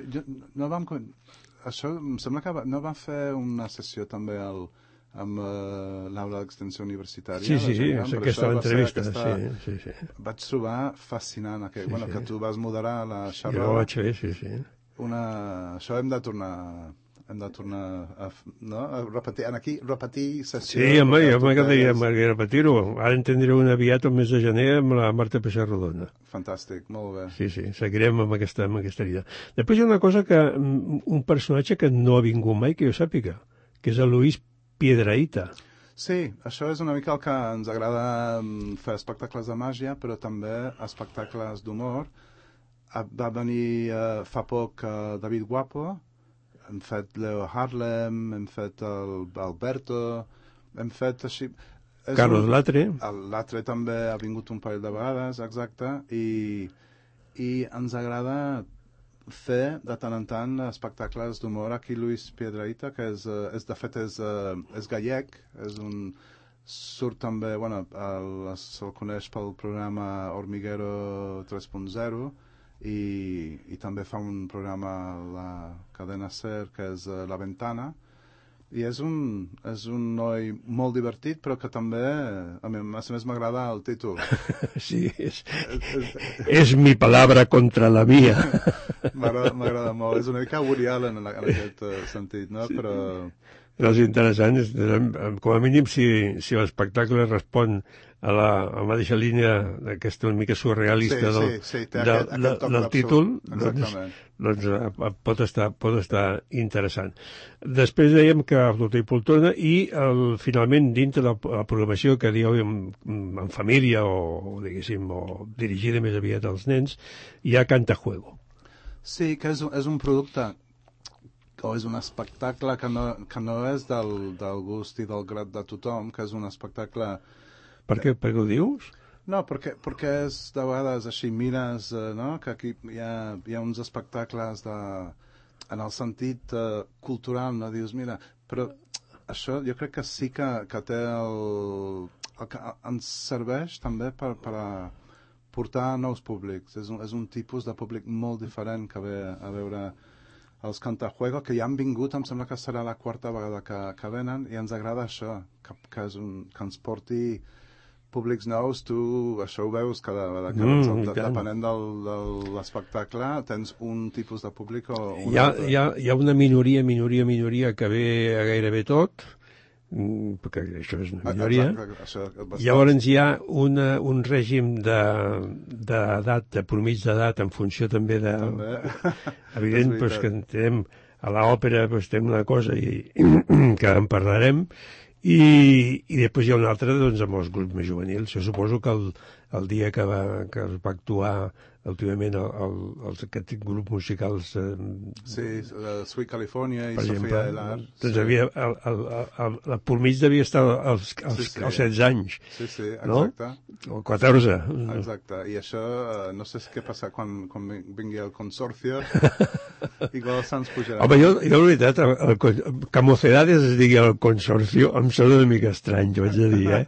Això em sembla que no va fer una sessió també amb l'aula d'extensió universitària. Sí, aquesta entrevista. Sí. Vaig trobar fascinant que tu vas moderar la xerrada. Jo ho vaig fer, sí. Això hem de tornar a repetir sessió. Sí, home, jo m'agradaria repetir-ho. Ara en tindré una aviat el mes de gener amb la Marta Peixarrodona. Fantàstic, molt bé. Sí, seguirem amb aquesta vida. Després hi ha una cosa un personatge que no ha vingut mai, que jo sàpiga, que és el Luis Piedrahita. Sí, això és una mica el que ens agrada fer espectacles de màgia, però també espectacles d'humor. Va venir fa poc David Guapo, hem fet Leo Harlem, hem fet Alberto, hem fet així... Carlos Latre. Latre també ha vingut un parell de vegades, exacte, i ens agrada fer de tant en tant espectacles d'humor. Aquí Luis Piedrahita, que de fet és gallec, surt també, se'l coneix pel programa Hormiguero 3.0, i també fa un programa a la cadena SER que és La Ventana, i és un noi molt divertit, però que també a més m'agrada el títol. Sí, és mi palabra contra la mía. M'agrada molt, és una mica Woody Allen en aquest sentit, no? Sí. Però és interessant, com a mínim si l'espectacle respon a la mateixa línia d'aquesta una mica surrealista del títol, doncs pot estar interessant. Després dèiem que Flauta i Poltrona i finalment dintre de la programació que dieu en família o diguéssim, o dirigida més aviat als nens, hi ha Cantajuego. Sí, que és un producte o és un espectacle que no és del gust i del grat de tothom, que és un espectacle... Per què ho dius? No, perquè és de vegades així, mires, no? Que aquí hi ha uns espectacles en el sentit cultural, no? Dius, mira, però això jo crec que sí que té el que ens serveix també per portar nous públics. És un tipus de públic molt diferent que ve a veure els Cantajuego, que ja han vingut, em sembla que serà la quarta vegada que venen, i ens agrada això, que ens porti públics nous. Tu això ho veus cada vegada, depenent de l'espectacle, tens un tipus de públic o un altre. Hi ha una minoria que ve a gairebé tot, perquè això és una minoria. Llavors hi ha un règim d'edat, de promís d'edat, en funció també de... Evident, que tenim a l'òpera tenim una cosa que en parlarem, i després hi ha una altra amb els grups més juvenils. Jo suposo que el dia que es va actuar últimament aquests grups musicals Sweet California i Sofia Elar, doncs la pormig devia estar als 16 anys, no? O 14. Exacte, i això no sé què passa quan vingui el Consorcio, igual se'ns pujarà. Home, jo la veritat, que Mocedades es digui el Consorcio em sembla una mica estrany, jo haig de dir,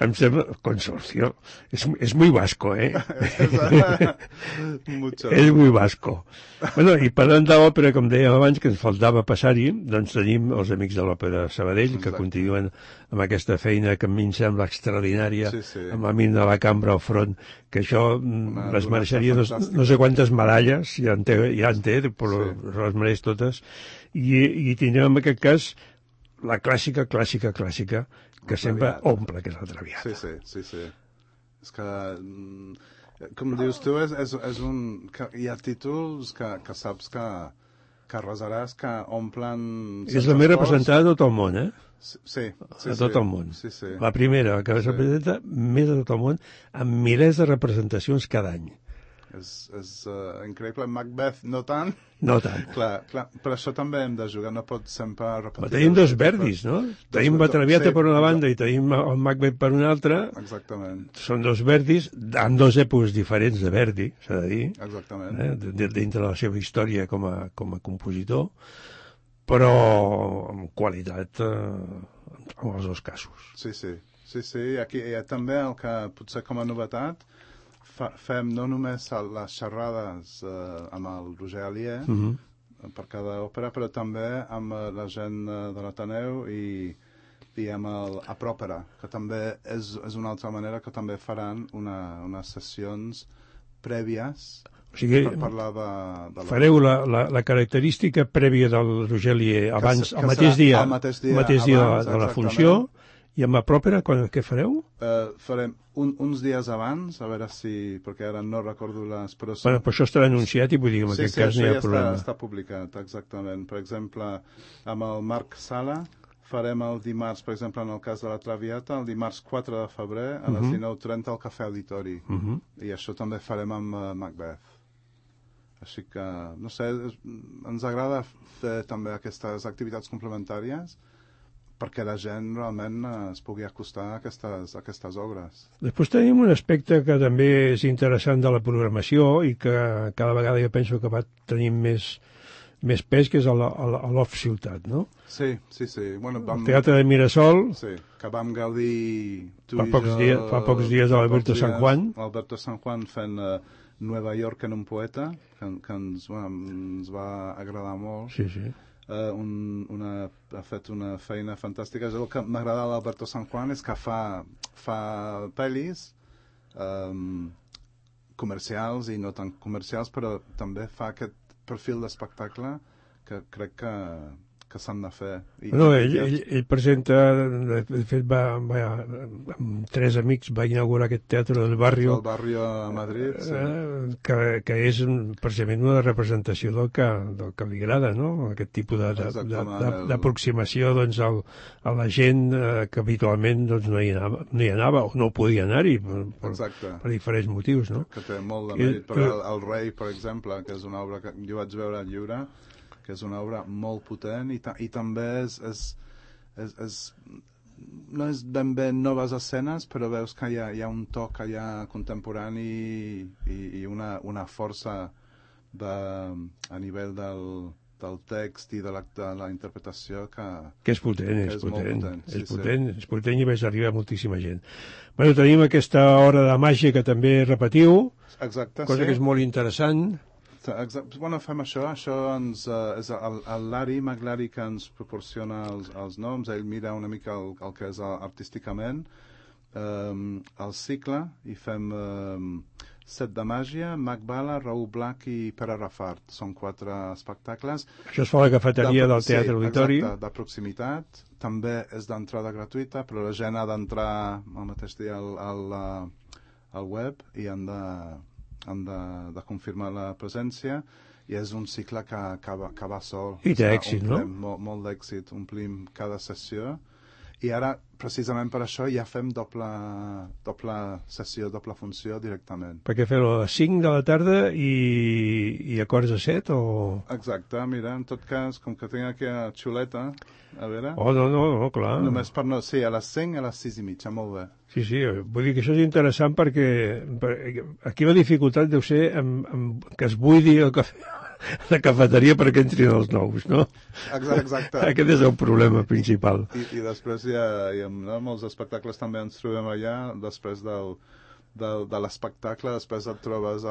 em sembla... Consorcio. Es muy vasco, És muy vasco. Bueno, i parlant de l'òpera, com dèiem abans, que ens faltava passar-hi, doncs tenim els Amics de l'Òpera Sabadell, que continuen amb aquesta feina que a mi em sembla extraordinària, amb el Min de la Cambra al front, que això les mereixeria no sé quantes medalles, ja en té, però les mereix totes, i tindrem en aquest cas la clàssica, que sempre omple, que és la Traviata. Sí. És que, com dius tu, hi ha títols que saps que resaràs, que omplen... És la més representada a tot el món, Sí. A tot el món. La primera que es representa més a tot el món, amb milers de representacions cada any. és increïble. Macbeth no tant. No tant. Clar, per això també hem de jugar, no pot sempre repetir. Tenim dos Verdis, no? Tenim la Traviata per una banda i tenim el Macbeth per una altra. Exactament. Són dos Verdis, en dos èpoques diferents de Verdi, s'ha de dir. Exactament. Dintre de la seva història com a compositor, però amb qualitat en els dos casos. Sí. Aquí també el que potser com a novetat fem no només les xerrades amb el Roger Alier per cada òpera, però també amb la gent de l'Ateneu i amb el Apròpera, que també és una altra manera que també faran unes sessions prèvies per parlar de fareu la característica prèvia del Roger Alier abans, el mateix dia de la funció. I amb la pròpera, què fareu? Farem uns dies abans, a veure si... perquè ara no recordo les... Però això estarà anunciat i vull dir que en aquest cas no hi ha problema. Sí, està publicat, exactament. Per exemple, amb el Marc Sala farem el dimarts, per exemple, en el cas de la Traviata, el dimarts 4 de febrer a les 19:30 al Cafè Auditori. I això també farem amb Macbeth. Així que, no sé, ens agrada fer també aquestes activitats complementàries perquè la gent realment es pugui acostar a aquestes obres. Després tenim un aspecte que també és interessant de la programació i que cada vegada jo penso que va tenir més pes, que és l'Off-Ciutat, no? Sí. Bueno, el Teatre de Mirasol... Sí, que vam gaudir fa pocs dies a l'Alberto San Juan. Alberto San Juan fent Nueva York en un poeta, que ens va agradar molt. Sí. Ha fet una feina fantàstica. El que m'agrada d'Alberto San Juan és que fa pel·lis comercials i no tan comercials, però també fa aquest perfil d'espectacle que crec que s'han de fer. Ell presenta, de fet amb 3 amics va inaugurar aquest Teatre del Barrio. El Barrio a Madrid, sí. Que és precisament una representació del que li agrada, no? Aquest tipus d'aproximació a la gent que habitualment no hi anava o no podia anar-hi per diferents motius, no? Que té molt de mèrit. Però el Rei, per exemple, que és una obra que jo vaig veure al Lliure, que és una obra molt potent i també no és ben bé noves escenes, però veus que hi ha un toc allà contemporani i una força a nivell del text i de la interpretació que és potent, és potent i més arriba a moltíssima gent. Bueno, tenim aquesta hora de màgia que també repetiu, cosa que és molt interessant. Bueno, fem això és el Larry McLary que ens proporciona els noms, ell mira una mica el que és artísticament el cicle i fem Set de Màgia, Mac Bala, Raúl Black i Pere Rafart. Són 4 espectacles. Això es fa a la cafeteria del Teatre Auditori. Exacte, de proximitat. També és d'entrada gratuïta, però la gent ha d'entrar al mateix dia al web i han de confirmar la presència i és un cicle que va sol. I té èxit, no? Molt d'èxit, omplim cada sessió i ara, precisament per això, ja fem doble sessió, doble funció directament. Perquè fer-ho a les 5 de la tarda i a quarts de 7 o...? Exacte, mira, en tot cas, com que tinc aquí a Xuleta, a veure... No, clar. Només sí, a les 5 i a les 6 i mitja, molt bé. Sí, vull dir que això és interessant perquè aquí la dificultat deu ser que es buidi el cafè, la cafeteria perquè entrin els nous, no? Exacte. Aquest és el problema principal. I després hi ha molts espectacles també ens trobem allà, després de l'espectacle, després et trobes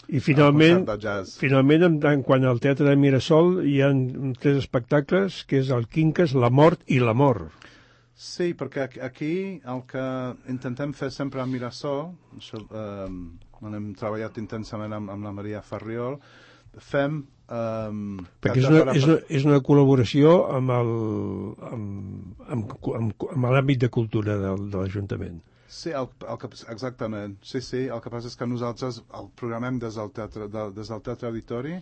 I finalment, quan al Teatre de Mirasol hi ha 3 espectacles, que és el Quincas, la mort i l'amor. Sí, perquè aquí el que intentem fer sempre a Mirasol, on hem treballat intensament amb la Maria Farriol, fem... Perquè és una col·laboració amb l'àmbit de cultura de l'Ajuntament. Sí, exactament. Sí, el que passa és que nosaltres el programem des del Teatre Auditori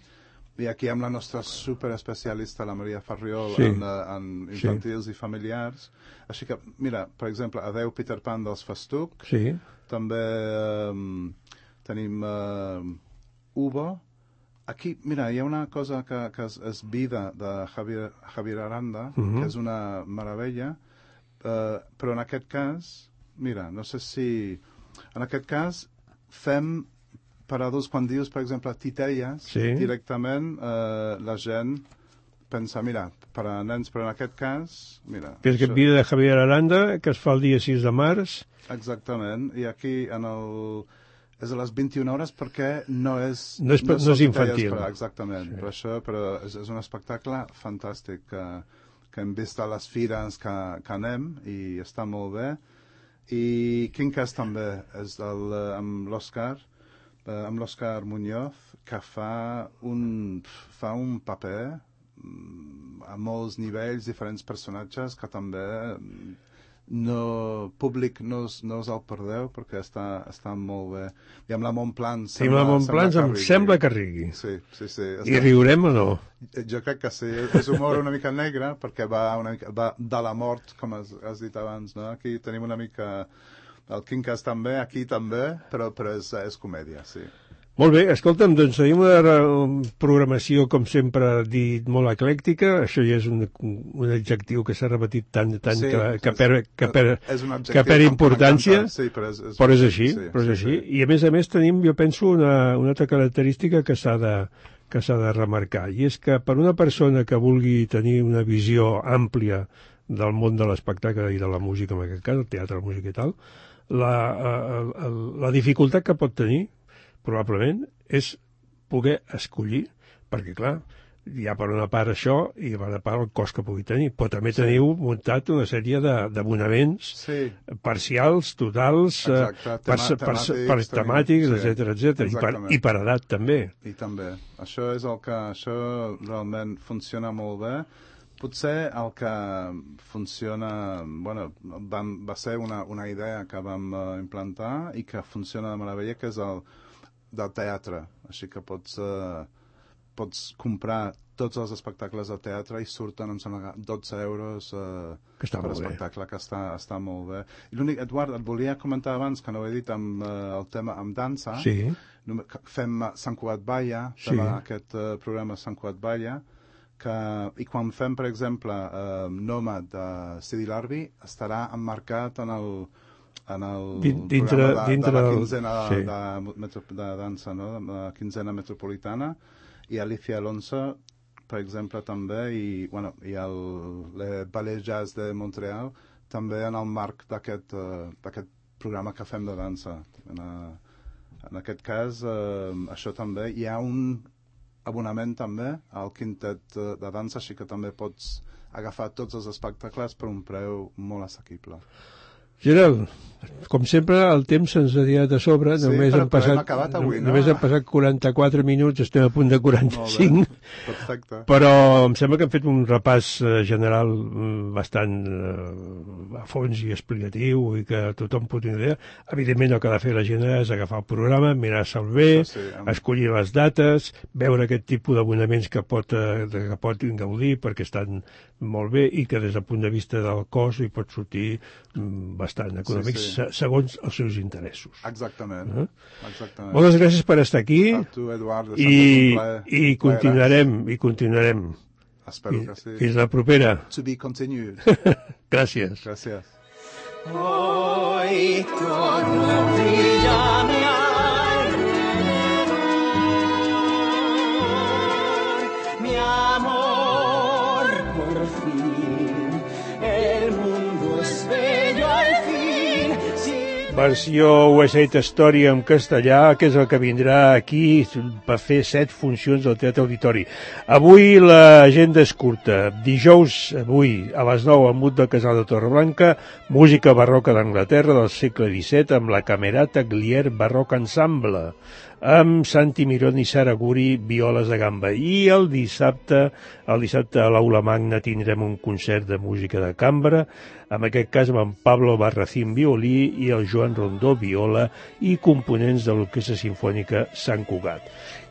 i aquí amb la nostra superespecialista, la Maria Farriol, en infantils i familiars. Així que, mira, per exemple, Adeu Peter Pan dels Festuc, també tenim Uvo. Aquí, mira, hi ha una cosa que és Vida, de Javier Aranda, que és una meravella, però en aquest cas, mira, no sé si... En aquest cas, fem per adults, quan dius, per exemple, titelles, directament la gent pensa, mira, per a nens, però en aquest cas, mira... És aquest Vida de Javier Aranda, que es fa el dia 6 de març. Exactament, i aquí és a les 21 hores perquè no és infantil. Exactament, per això, però és un espectacle fantàstic que hem vist a les fires que anem i està molt bé. I Quincas també és amb l'Òscar Muñoz, que fa un paper a molts nivells, diferents personatges que també públic no us el perdeu perquè està molt bé. I amb la Montplans sembla que rigui. Sí. I riurem o no? Jo crec que sí. És humor una mica negre perquè va de la mort, com has dit abans, no? Aquí tenim una mica el Quincas també, aquí també, però és comèdia, sí. Molt bé, escolta'm, doncs tenim una programació, com sempre, dit molt eclèctica. Això ja és un adjectiu que s'ha repetit tant que perd importància, però és així. I a més tenim, jo penso, una altra característica que s'ha de remarcar, i és que per una persona que vulgui tenir una visió àmplia del món de l'espectacle i de la música, en aquest cas, el teatre, la música i tal, la dificultat que pot tenir probablement és poder escollir, perquè clar, hi ha per una part això i per una part el cost que pugui tenir, però també teniu muntat una sèrie d'abonaments parcials, totals, per temàtics, etc. I per edat també. I també. Això realment funciona molt bé. Potser el que funciona, va ser una idea que vam implantar i que funciona de meravella, que és el del teatre, així que pots comprar tots els espectacles de teatre i surten, em sembla, 12 euros per espectacle, que està molt bé. I l'únic, Eduard, et volia comentar abans, que no ho he dit, amb el tema amb dansa. Fem Sant Cugat Balla, aquest programa Sant Cugat Balla, i quan fem, per exemple, Nòmad de Sidi Larbi, estarà emmarcat en el programa de la quinzena de dansa, no? De la quinzena metropolitana, i Alicia Alonso, per exemple, també, i el Ballet Jazz de Montreal, també en el marc d'aquest programa que fem de dansa. En aquest cas, això també, hi ha un abonament també al quintet de dansa, així que també pots agafar tots els espectacles per un preu molt assequible. Gerald, com sempre, el temps se'ns ha tirat a sobre. Només han passat 44 minuts, estem a punt de 45. Perfecte. Però em sembla que hem fet un repàs general bastant a fons i explicatiu i que tothom pot tenir idea. Evidentment, el que ha de fer la gent és agafar el programa, mirar-se'l bé, escollir les dates, veure aquest tipus d'abonaments que pot gaudir perquè estan molt bé i que des del punt de vista del cost hi pot sortir bastant econòmics segons els seus interessos. Exactament. Moltes gràcies per estar aquí. A tu, Eduard, i continuarem. Espero que sí. Fins la propera. To be continued. Gràcies. Gràcies. Hoy todo brilla a mi alrededor, mi amor, por fin, el mundo es bello al fin. Versió West Side Story en castellà, que és el que vindrà aquí per fer 7 funcions al Teatre Auditori. Avui l'agenda és curta. Dijous, avui, a les 9, al Mut del Casal de Torreblanca, música barroca d'Anglaterra del segle XVII amb la Camerata Glier Barroc Ensemble, amb Santi Mirón i Sara Guri, violes de gamba. I el dissabte a l'Aula Magna tindrem un concert de música de cambra, en aquest cas amb en Pablo Barracín, violí, i el Joan Rondó, viola, i components de l'Orquestra Simfònica Sant Cugat.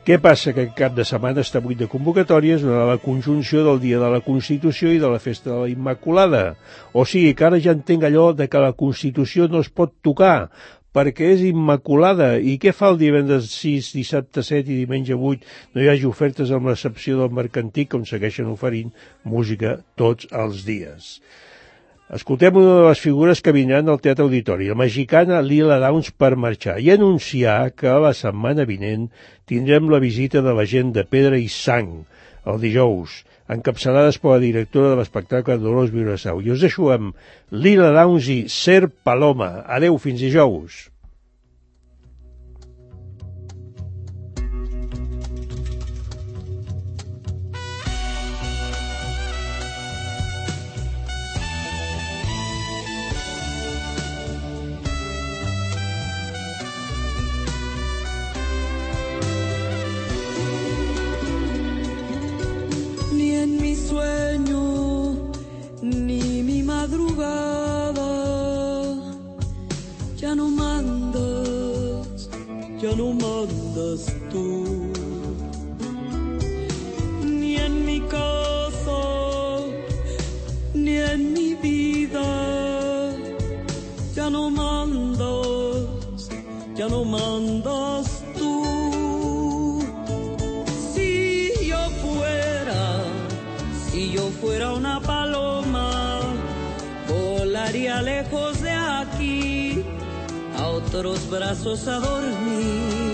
Què passa? Que aquest cap de setmana està buit de convocatòries durant la conjunció del Dia de la Constitució i de la Festa de la Immaculada. O sigui que ara ja entenc allò de que la Constitució no es pot tocar, perquè és immaculada. I què fa el divendres 6, dissabte 7 i diumenge 8? No hi hagi ofertes amb l'excepció del Mercantic, on segueixen oferint música tots els dies. Escoltem una de les figures que vindran al Teatre Auditori, la mexicana Lila Downs, per marxar i anunciar que la setmana vinent tindrem la visita de la gent de Pedra i Sang, el dijous, encapçalades per la directora de l'espectacle Dolors Viurasau. I us deixo amb Lila Downs i Ser Paloma. Adeu, fins dijous. Ya no mandas tú, ni en mi casa, ni en mi vida. Ya no mandas tú. Si yo fuera una paloma, volaría lejos de aquí, a otros brazos a dormir.